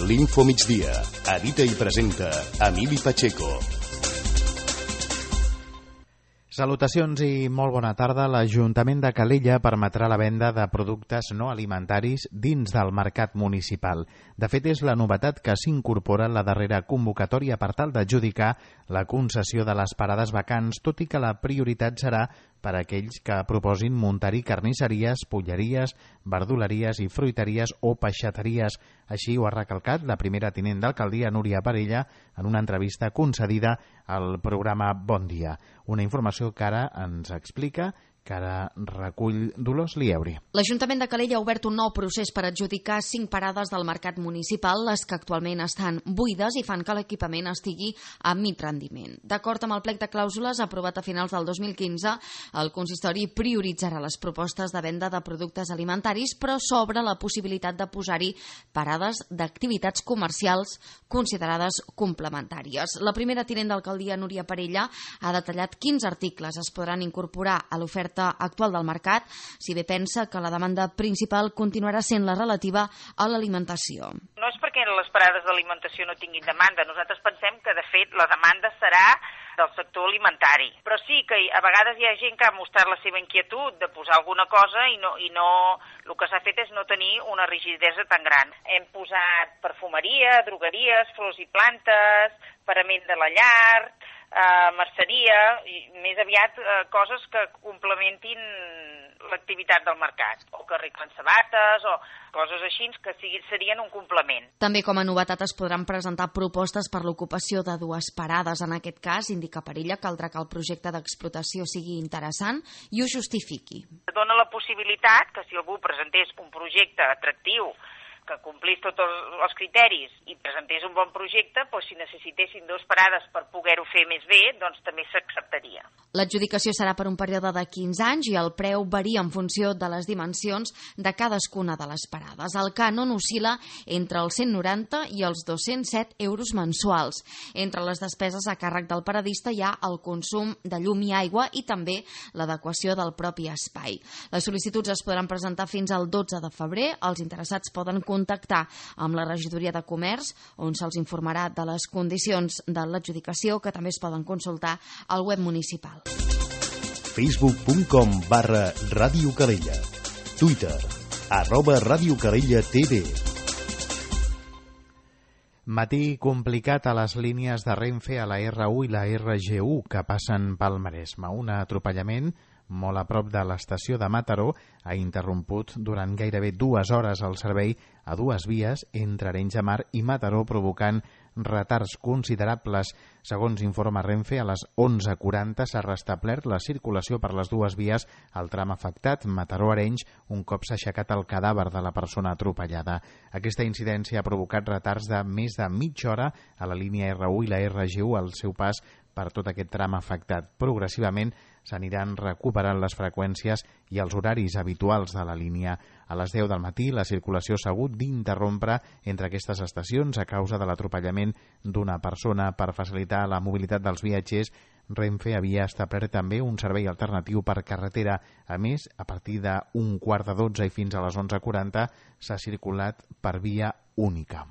L'Info Migdia. Edita i presenta Emili Pacheco. Salutacions i molt bona tarda. L'Ajuntament de Calella permetrà la venda de productes no alimentaris dins del mercat municipal. De fet, és la novetat que s'incorpora en la darrera convocatòria per tal d'adjudicar la concessió de les parades vacants, tot i que la prioritat serà per a aquells que proposin muntar-hi carnisseries, polleries, verduleries i fruiteries o peixateries. Així ho ha recalcat la primera tinent d'alcaldia, Núria Parella, en una entrevista concedida al programa Bon Dia. Una informació que ara ens explica, que ara recull Dolors Lieuri. L'Ajuntament de Calella ha obert un nou procés per adjudicar 5 parades del mercat municipal, les que actualment estan buides i fan que l'equipament estigui a mig rendiment. D'acord amb el plec de clàusules aprovat a finals del 2015, el consistori prioritzarà les propostes de venda de productes alimentaris, però s'obre la possibilitat de posar-hi parades d'activitats comercials considerades complementàries. La primera tinent d'alcaldia, Núria Parella, ha detallat quins articles es podran incorporar a l'oferta actual del mercat, si bé pensa que la demanda principal continuarà sent la relativa a l'alimentació. No és perquè les parades d'alimentació no tinguin demanda. Nosaltres pensem que, de fet, la demanda serà del sector alimentari. Però sí que a vegades hi ha gent que ha mostrat la seva inquietud de posar alguna cosa i no el que s'ha fet és no tenir una rigidesa tan gran. Hem posat perfumeria, drogueries, flors i plantes, parament de la llar, merceria, i més aviat coses que complementin l'activitat del mercat, o que arreglen sabates, o coses així que serien un complement. També com a novetat es podran presentar propostes per l'ocupació de 2 parades. En aquest cas, indica Parella, caldrà que el projecte d'explotació sigui interessant i ho justifiqui. Dona la possibilitat que si algú presentés un projecte atractiu, que complís tots els criteris i presentés un bon projecte, doncs si necessitessin 2 parades per poder-ho fer més bé, doncs també s'acceptaria. L'adjudicació serà per un període de 15 anys i el preu varia en funció de les dimensions de cadascuna de les parades. El cànon oscil·la entre els 190 i els 207 euros mensuals. Entre les despeses a càrrec del paradista hi ha el consum de llum i aigua i també l'adequació del propi espai. Les sol·licituds es podran presentar fins al 12 de febrer. Els interessats poden contactar amb la regidoria de comerç, on se'ls informarà de les condicions de l'adjudicació, que també es poden consultar al web municipal. Facebook.com/Ràdio Calella. Twitter @Ràdio Calella TV. Matí complicat a les línies de Renfe a la R1 i la RG1 que passen pel Maresme. Un atropellament molt a prop de l'estació de Mataró ha interromput durant gairebé 2 hores el servei a 2 vies entre Arenys de Mar i Mataró, provocant retards considerables. Segons informa Renfe, a les 11:40 s'ha restablert la circulació per les 2 vies al tram afectat Mataró-Arenys, un cop s'ha aixecat el cadàver de la persona atropellada. Aquesta incidència ha provocat retards de més de mitja hora a la línia R1 i la RG1 al seu pas per tot aquest tram afectat. Progressivament s'aniran recuperant les freqüències i els horaris habituals de la línia. A les 10 del matí la circulació s'ha hagut d'interrompre entre aquestes estacions a causa de l'atropellament d'una persona. Per facilitar la mobilitat dels viatgers, Renfe havia establert també un servei alternatiu per carretera. A més, a partir d'un 11:45 i fins a les 11:40 s'ha circulat per via única.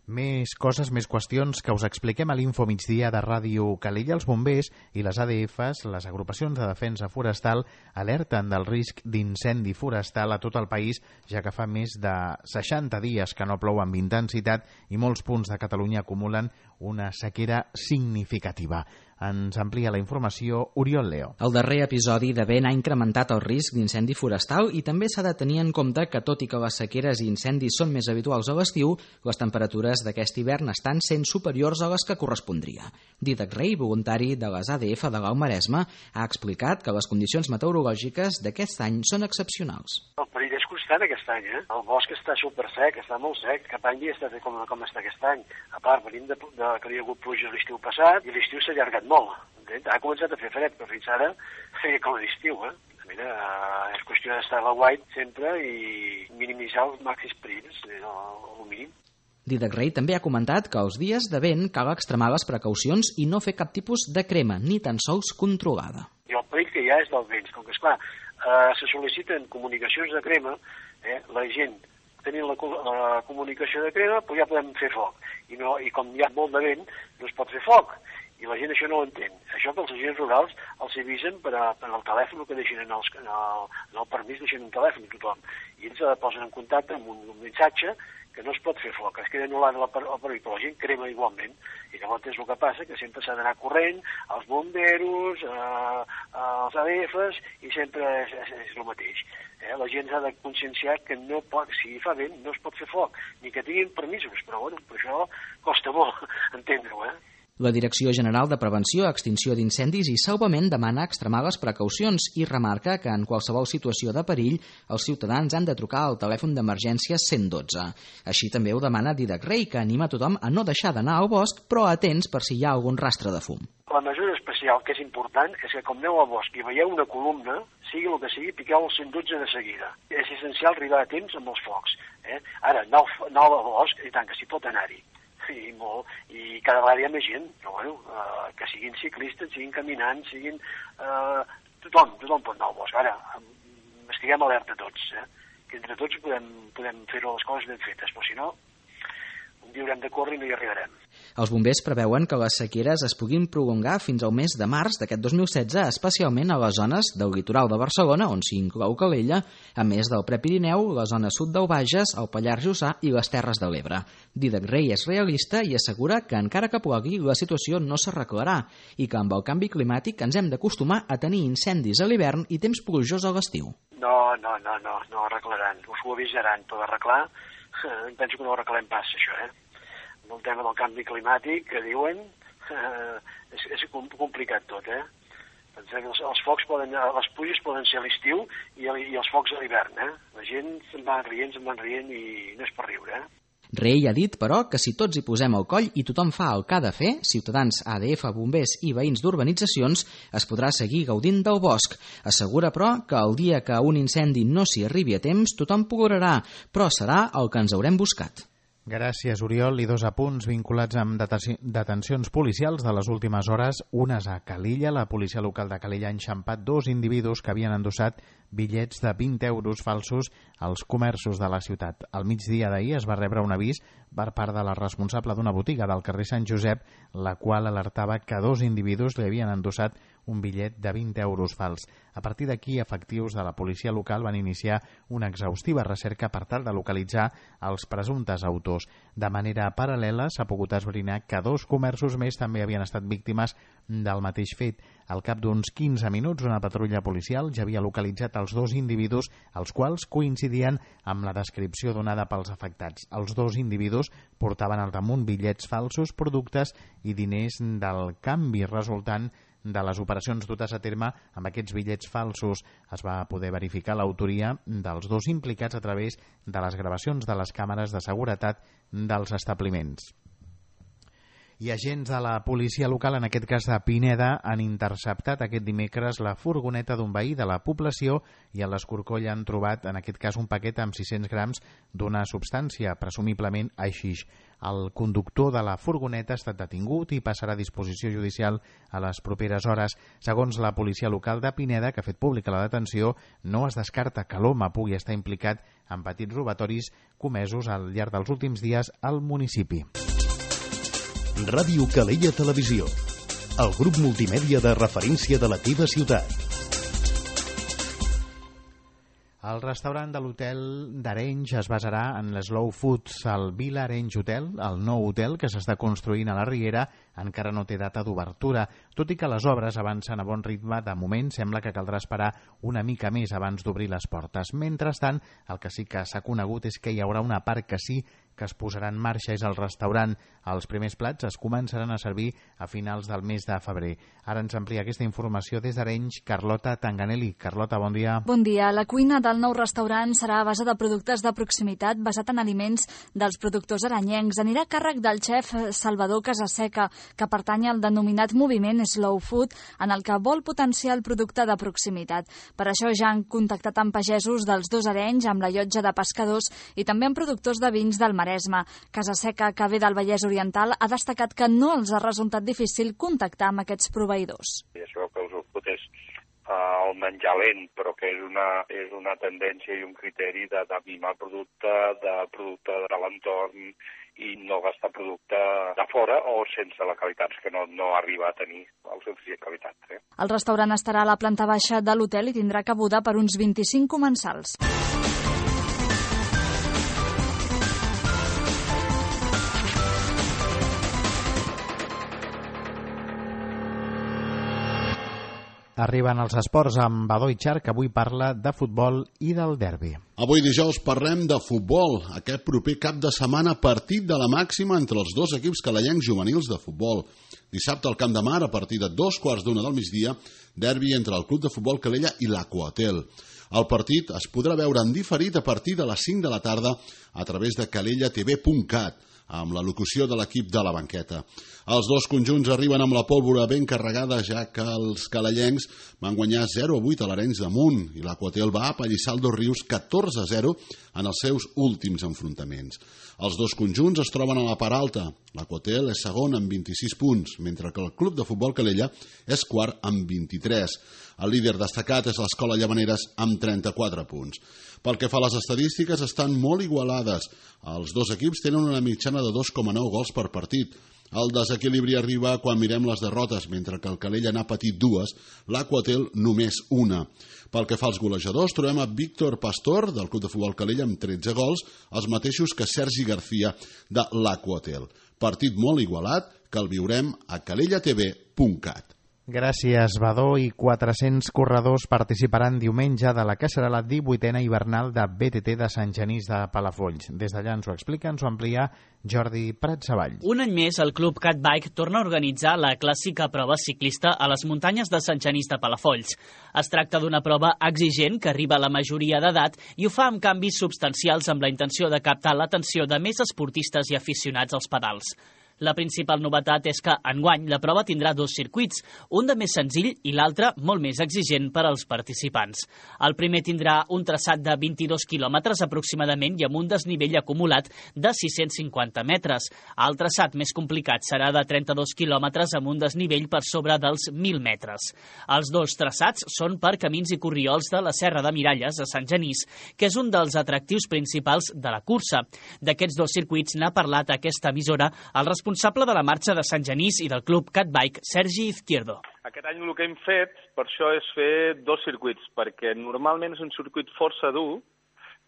Més coses, més qüestions que us expliquem a l'Info Migdia de Ràdio Calella. Els bombers i les ADFs, les agrupacions de defensa forestal, alerten del risc d'incendi forestal a tot el país, ja que fa més de 60 dies que no plou amb intensitat i molts punts de Catalunya acumulen una sequera significativa. Ens amplia la informació Oriol Leo. El darrer episodi de vent ha incrementat el risc d'incendi forestal i també s'ha de tenir en compte que, tot i que les sequeres i incendis són més habituals a l'estiu, les temperatures d'aquest hivern estan sent superiors a les que correspondria. Dídac Rey, voluntari de les ADF de l'Alt Maresme, ha explicat que les condicions meteorològiques d'aquest any són excepcionals. El perill és constant aquest any, eh? El bosc està supersec, està molt sec. Cap any està com està aquest any. A part, venim de que hi ha hagut pluja l'estiu passat i l'estiu s'ha allargat molt. Ha començat a fer fred, però fins ara feia com a l'estiu, eh? Mira, és qüestió d'estar a l'aguait sempre i minimitzar els màxims perills, el mínim. Dídac Rey també ha comentat que els dies de vent cal extremar les precaucions i no fer cap tipus de crema, ni tan sols controlada. I el perill que hi ha és del vent, com que, esclar, se sol·liciten comunicacions de crema, la gent tenint la comunicació de crema, doncs ja podem fer foc. I com hi ha molt de vent, no es pot fer foc. I la gent això no ho entén. Això que els agents rurals els avisen per al telèfon que deixin en el permís, deixen un telèfon a tothom. I ells posen en contacte amb un missatge que no es pot fer foc, es queda anul·lat el perill, però la gent crema igualment. I llavors és el que passa, que sempre s'ha d'anar corrent, als bomberos, als ADFs, i sempre és el mateix. La gent s'ha de conscienciar que no pot, si fa vent no es pot fer foc, ni que tinguin permisos, però bueno, per això costa molt entendre-ho, La Direcció General de Prevenció, Extinció d'Incendis i Salvament demana extremar les precaucions i remarca que en qualsevol situació de perill els ciutadans han de trucar al telèfon d'emergència 112. Així també ho demana Didac Rei, que anima tothom a no deixar d'anar al bosc, però atents per si hi ha algun rastre de fum. La mesura especial que és important és que com aneu al bosc i veieu una columna, sigui el que sigui, piqueu el 112 de seguida. És essencial arribar a temps amb els focs. Ara, anar al bosc, i tant que s'hi pot anar-hi. I cada vegada hi ha més gent, però bueno, que siguin ciclistes, siguin caminants, siguin... Tothom pot anar al bosc. Ara, estiguem alerta tots, que entre tots podem fer les coses ben fetes, però si no, un dia haurem de córrer i no hi arribarem. Els bombers preveuen que les sequeres es puguin prolongar fins al mes de març d'aquest 2016, especialment a les zones del litoral de Barcelona, on s'hi inclou Calella, a més del Prepirineu, la zona sud del Bages, el Pallars Jussà i les Terres de l'Ebre. Didac Rei és realista i assegura que encara que plogui, la situació no s'arreglarà i que amb el canvi climàtic ens hem d'acostumar a tenir incendis a l'hivern i temps plujós a l'estiu. No arreglaran, ho suavitzaran, però arreglar, penso que no ho arreglem pas, això, El tema del canvi climàtic, que diuen, és complicat tot, Pensem que els focs les pluges poden ser a l'estiu i els focs a l'hivern, La gent se'n van rient i no és per riure, Rei ha dit, però, que si tots hi posem el coll i tothom fa el que ha de fer, ciutadans, ADF, bombers i veïns d'urbanitzacions, es podrà seguir gaudint del bosc. Assegura, però, que el dia que un incendi no s'hi arribi a temps, tothom plorarà, però serà el que ens haurem buscat. Gràcies, Oriol. I 2 apunts vinculats amb detencions policials de les últimes hores. Unes a Calella. La policia local de Calella ha enxampat 2 individus que havien endossat bitllets de 20 euros falsos als comerços de la ciutat. Al migdia d'ahir es va rebre un avís per part de la responsable d'una botiga del carrer Sant Josep, la qual alertava que 2 individus li havien endossat un bitllet de 20 euros fals. A partir d'aquí, efectius de la policia local van iniciar una exhaustiva recerca per tal de localitzar els presumptes autors. De manera paral·lela, s'ha pogut esbrinar que 2 comerços més també havien estat víctimes del mateix fet. Al cap d'uns 15 minuts, una patrulla policial ja havia localitzat els 2 individus, els quals coincidien amb la descripció donada pels afectats. Els 2 individus portaven al damunt bitllets falsos, productes i diners del canvi resultant de les operacions dutes a terme amb aquests bitllets falsos. Es va poder verificar l'autoria dels 2 implicats a través de les gravacions de les càmeres de seguretat dels establiments. I agents de la policia local, en aquest cas de Pineda, han interceptat aquest dimecres la furgoneta d'un veí de la població i a l'Escorcoll han trobat, en aquest cas, un paquet amb 600 grams d'una substància, presumiblement haixix. El conductor de la furgoneta ha estat detingut i passarà a disposició judicial a les properes hores. Segons la policia local de Pineda, que ha fet pública la detenció, no es descarta que l'home pugui estar implicat en petits robatoris comesos al llarg dels últims dies al municipi. Ràdio Calella Televisió, el grup multimèdia de referència de la teva ciutat. El restaurant de l'hotel d'Arenys es basarà en l'Slow Foods. El Vila Arenys Hotel, el nou hotel que s'està construint a la Riera, encara no té data d'obertura. Tot i que les obres avancen a bon ritme, de moment sembla que caldrà esperar una mica més abans d'obrir les portes. Mentrestant, el que sí que s'ha conegut és que hi haurà una part que sí que es posarà en marxa, és el restaurant. Els primers plats es començaran a servir a finals del mes de febrer. Ara ens amplia aquesta informació des d'Arenys, Carlota Tanganelli. Carlota, bon dia. Bon dia. La cuina del nou restaurant serà a base de productes de proximitat basat en aliments dels productors arenyencs. Anirà a càrrec del xef Salvador Casaseca, que pertany al denominat moviment Slow Food, en el que vol potenciar el producte de proximitat. Per això ja han contactat amb pagesos dels 2 Arenys, amb la llotja de pescadors i també amb productors de vins del Maresme. Casaseca, que ve del Vallès Oriental, ha destacat que no els ha resultat difícil contactar amb aquests proveïdors. I això que els food és el menjar lent, però que és una tendència i un criteri de mimar producte de l'entorn i no gastar producte de fora o sense la qualitat, que no arriba a tenir el suficient qualitat. El restaurant estarà a la planta baixa de l'hotel i tindrà cabuda per uns 25 comensals. Arriben els esports amb Badó Itxar, que avui parla de futbol i del derbi. Avui dijous parlem de futbol. Aquest proper cap de setmana partit de la màxima entre els dos equips calellencs juvenils de futbol. Dissabte al Camp de Mar, a partir de 2:15 del migdia, derbi entre el Club de Futbol Calella i l'Aquahotel. El partit es podrà veure en diferit a partir de les 5 de la tarda a través de calellatv.cat, amb la locució de l'equip de la banqueta. Els dos conjunts arriben amb la pólvora ben carregada, ja que els calellencs van guanyar 0-8 a l'Arenys de Munt i l'Aquahotel va apallissar el Dos Rius 14-0 en els seus últims enfrontaments. Els dos conjunts es troben a la part alta. L'Aquahotel és segon amb 26 punts, mentre que el Club de Futbol Calella és quart amb 23. El líder destacat és l'Escola Llavaneres amb 34 punts. Pel que fa a les estadístiques, estan molt igualades. Els dos equips tenen una mitjana de 2,9 gols per partit. El desequilibri arriba quan mirem les derrotes, mentre que el Calella n'ha patit 2, l'Aquahotel només 1. Pel que fa als golejadors, trobem a Víctor Pastor, del Club de Futbol Calella, amb 13 gols, els mateixos que Sergi García, de l'Aquahotel. Partit molt igualat, que el viurem a calellatv.cat. Gràcies, Badó, i 400 corredors participaran diumenge de la que serà la 18a hivernal de BTT de Sant Genís de Palafolls. Des d'allà ens ho explica, ens ho amplia Jordi Prat-Savall. Un any més, el Club Cat Bike torna a organitzar la clàssica prova ciclista a les muntanyes de Sant Genís de Palafolls. Es tracta d'una prova exigent que arriba a la majoria d'edat i ho fa amb canvis substancials amb la intenció de captar l'atenció de més esportistes i aficionats als pedals. La principal novetat és que, enguany, la prova tindrà 2 circuits, un de més senzill i l'altre molt més exigent per als participants. El primer tindrà un traçat de 22 quilòmetres aproximadament i amb un desnivell acumulat de 650 metres. El traçat més complicat serà de 32 quilòmetres amb un desnivell per sobre dels 1.000 metres. Els dos traçats són per camins i corriols de la Serra de Miralles, a Sant Genís, que és un dels atractius principals de la cursa. D'aquests 2 circuits n'ha parlat a aquesta emissora el responsable de la marxa de Sant Genís i del Club Cat Bike, Sergi Izquierdo. Aquest any el que hem fet, per això, és fer 2 circuits, perquè normalment és un circuit força dur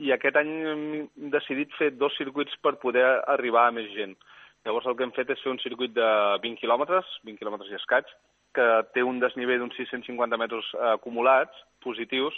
i aquest any hem decidit fer 2 circuits per poder arribar a més gent. Llavors el que hem fet és fer un circuit de 20 quilòmetres i escaig, que té un desnivell d'uns 650 metres acumulats, positius,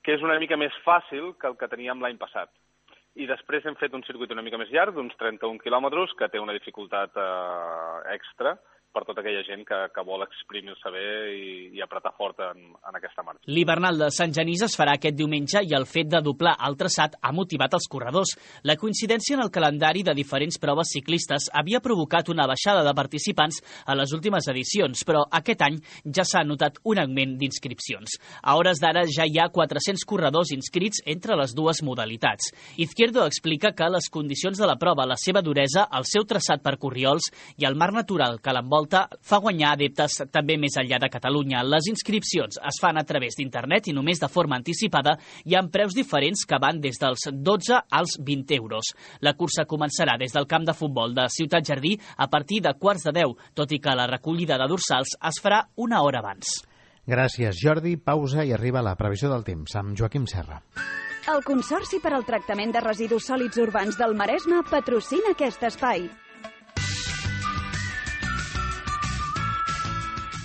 que és una mica més fàcil que el que teníem l'any passat. I després hem fet un circuit una mica més llarg, d'uns 31 quilòmetres, que té una dificultat extra per tota aquella gent que vol exprimir-se bé i apretar fort en aquesta marxa. L'hivernal de Sant Genís es farà aquest diumenge i el fet de doblar el traçat ha motivat els corredors. La coincidència en el calendari de diferents proves ciclistes havia provocat una baixada de participants a les últimes edicions, però aquest any ja s'ha notat un augment d'inscripcions. A hores d'ara ja hi ha 400 corredors inscrits entre les dues modalitats. Izquierdo explica que les condicions de la prova, la seva duresa, el seu traçat per corriols i el mar natural que l'envolta fa guanyar adeptes també més enllà de Catalunya. Les inscripcions es fan a través d'internet i només de forma anticipada i amb preus diferents que van des dels 12 als 20 euros. La cursa començarà des del camp de futbol de Ciutat Jardí a partir de 9:15, tot i que la recollida de dorsals es farà una hora abans. Gràcies, Jordi. Pausa i arriba la previsió del temps amb Joaquim Serra. El Consorci per al Tractament de Residus Sòlids Urbans del Maresme patrocina aquest espai.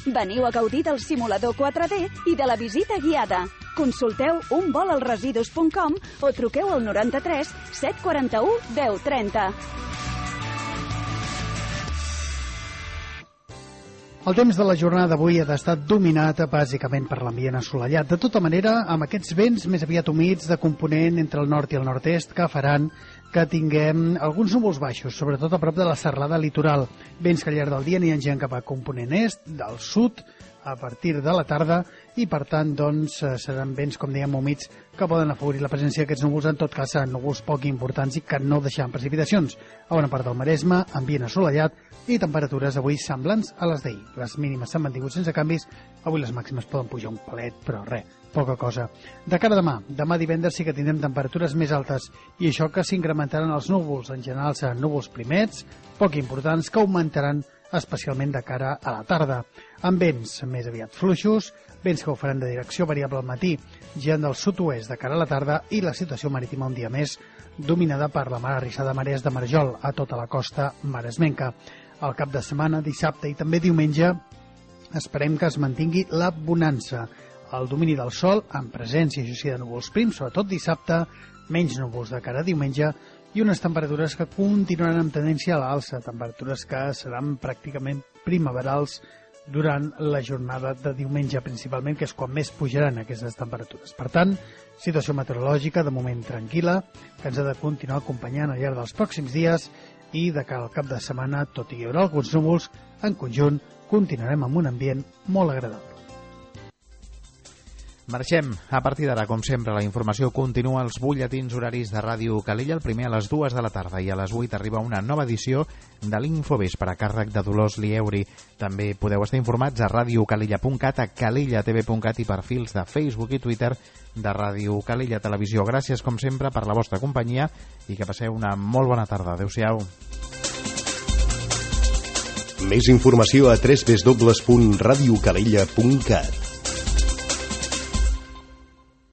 Veniu a gaudir del simulador 4D i de la visita guiada. Consulteu unvolalresidus.com o truqueu al 93 741 1030. El temps de la jornada d'avui ha d'estar dominat bàsicament per l'ambient assolellat. De tota manera, amb aquests vents més aviat humits de component entre el nord i el nord-est que faran que tinguem alguns núvols baixos, sobretot a prop de la serralada litoral. Vents que al llarg del dia aniran cap a component est, del sud, a partir de la tarda, i per tant doncs, seran vents, com dèiem, humits que poden afavorir la presència d'aquests núvols, en tot cas seran núvols poc importants i que no deixaran precipitacions. A bona part del Maresme, ambient assolellat i temperatures avui semblants a les d'ahir. Les mínimes s'han mantingut sense canvis, avui les màximes poden pujar un palet, però res, poca cosa. De cara a demà divendres sí que tindrem temperatures més altes i això que s'incrementaran els núvols. En general seran núvols primets, poc importants, que augmentaran especialment de cara a la tarda, amb vents més aviat fluixos, vents que ho faran de direcció variable al matí, girant del sud-oest de cara a la tarda, i la situació marítima un dia més dominada per la mar arrissada marees de Marjol a tota la costa maresmenca. Al cap de setmana, dissabte i també diumenge, esperem que es mantingui la bonança, el domini del sol, amb presència, això sí, de núvols prims, sobretot dissabte, menys núvols de cara a diumenge, i unes temperatures que continuaran amb tendència a l'alça, temperatures que seran pràcticament primaverals durant la jornada de diumenge principalment, que és quan més pujaran aquestes temperatures. Per tant, situació meteorològica de moment tranquil·la, que ens ha de continuar acompanyant al llarg dels pròxims dies, i de cara al cap de setmana, tot i hi haurà alguns núvols, en conjunt continuarem amb un ambient molt agradable. Marxem. A partir d'ara, com sempre, la informació continua als butlletins horaris de Ràdio Calella, el primer a les 2 de la tarda, i a les 8 arriba una nova edició de l'Infovespre a càrrec de Dolors Lieuri. També podeu estar informats a radiocalella.cat, a calellatv.cat i perfils de Facebook i Twitter de Ràdio Calella Televisió. Gràcies, com sempre, per la vostra companyia i que passeu una molt bona tarda. Adéu-siau. Més informació a www.radiocalella.cat.